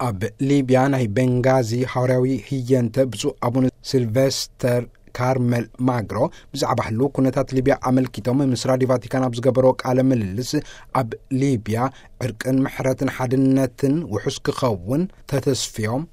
ኣብ ሊብያ ናይ ቤንጋዚ ሃዋርያዊ ህየንተ ብፁዕ ኣቡነ ሲልቨስተር ካርመል ማግሮ ብዛዕባ ህልው ኩነታት ሊብያ ኣመልኪቶም ምስ ራዲዮ ቫቲካን ኣብ ዝገበሮ ቃለ ምልልስ፣ ኣብ ሊብያ ዕርቅን ምሕረትን ሓድነትን ውሑስ ክኸውን ተተስፍዮም፣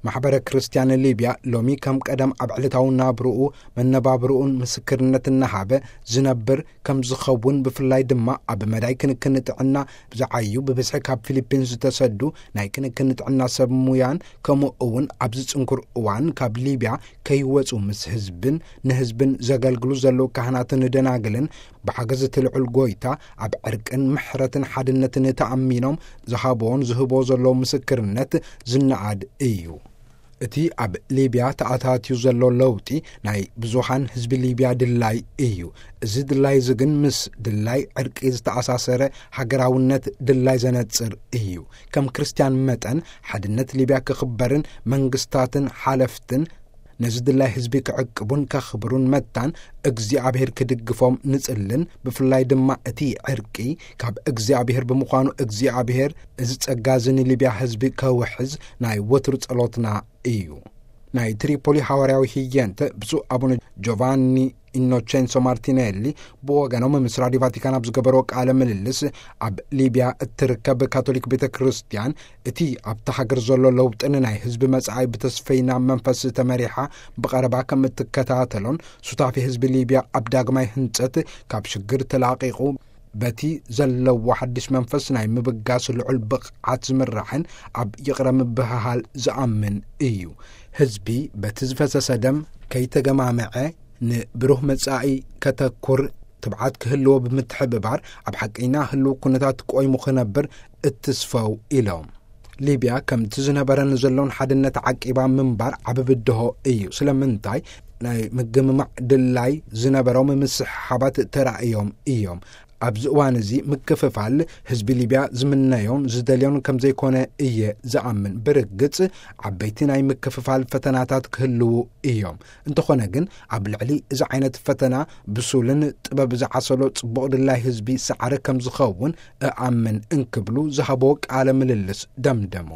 ማሕበረ ክርስትያን ሊብያ ሎሚ ከም ቀደም ኣብ ዕለታዊ ናብርኡ መነባብርኡን ምስክርነት እናሃበ ዝነብር ከም ዝኸውን፣ ብፍላይ ድማ ኣብ መዳይ ክንክን ጥዕና ዝዓዩ ብብዝሒ ካብ ፊሊፒንስ ዝተሰዱ ናይ ክንክን ጥዕና ሰብ ሙያን፣ ከምኡ እውን ኣብዚ ጽንኩር እዋን ካብ ሊብያ ከይወጹ ምስ ህዝብን ንህዝብን ዘገልግሉ ዘለዉ ካህናትን ደናግልን ብሓገዝ እቲ ልዑል ጎይታ ኣብ ዕርቅን ምሕረትን ሓድነትን ተኣሚኖም ዝሃብዎን ዝህቦ ዘለዉ ምስክርነት ዝነኣድ እዩ። እቲ ኣብ ሊብያ ተኣታትዩ ዘሎ ለውጢ ናይ ብዙሃን ህዝቢ ሊብያ ድላይ እዩ። እዚ ድላይ እዚ ግን ምስ ድላይ ዕርቂ ዝተኣሳሰረ ሃገራውነት ድላይ ዘነጽር እዩ። ከም ክርስትያን መጠን ሓድነት ሊብያ ክኽበርን መንግስታትን ሓለፍትን ነዚ ድላይ ህዝቢ ክዕቅቡን ከኽብሩን መታን እግዚኣብሔር ክድግፎም ንጽልን፣ ብፍላይ ድማ እቲ ዕርቂ ካብ እግዚኣብሔር ብምዃኑ እግዚኣብሔር እዚ ጸጋ እዚ ንሊብያ ህዝቢ ከውሕዝ ናይ ወትሩ ጸሎትና እዩ። ናይ ትሪፖሊ ሃዋርያዊ ህየንተ ብፁዕ ኣቡነ ጆቫኒ ኢኖቼንሶ ማርቲኔሊ ብወገኖም ምስ ራዲዮ ቫቲካን ኣብ ዝገበርዎ ቃለ ምልልስ፣ ኣብ ሊብያ እትርከብ ካቶሊክ ቤተ ክርስቲያን እቲ ኣብታ ሃገር ዘሎ ለውጥን ናይ ህዝቢ መጻኢ ብተስፈይና መንፈስ ተመሪሓ ብቐረባ ከም እትከታተሎን፣ ሱታፌ ህዝቢ ሊብያ ኣብ ዳግማይ ህንጸት ካብ ሽግር ተላቒቑ በቲ ዘለዎ ሓድሽ መንፈስ ናይ ምብጋስ ልዑል ብቕዓት ዝምራሕን ኣብ ይቕረ ምብህሃል ዝኣምን እዩ። ህዝቢ በቲ ዝፈሰሰ ደም ከይተገማመዐ ንብሩህ መጻኢ ከተኩር ትብዓት ክህልዎ ብምትሕብባር፣ ኣብ ሓቀኛ ህልው ኩነታት ቆይሙ ክነብር እትስፈው ኢሎም። ሊብያ ከምቲ ዝነበረን ዘሎን ሓድነት ዓቂባ ምንባር ዓቢ ብድሆ እዩ። ስለምንታይ? ናይ ምግምማዕ ድላይ ዝነበሮም ምስሕሓባት ተራእዮም እዮም። ኣብዚ እዋን እዚ ምክፍፋል ህዝቢ ሊብያ ዝምነዮን ዝደልዮን ከም ዘይኮነ እየ ዝኣምን። ብርግጽ ዓበይቲ ናይ ምክፍፋል ፈተናታት ክህልዉ እዮም። እንተኾነ ግን ኣብ ልዕሊ እዚ ዓይነት ፈተና ብሱልን ጥበብ ዝዓሰሎ ጽቡቕ ድላይ ህዝቢ ሰዓሪ ከም ዝኸውን እኣምን እንክብሉ ዝሃቦ ቃለ ምልልስ ደምደሙ።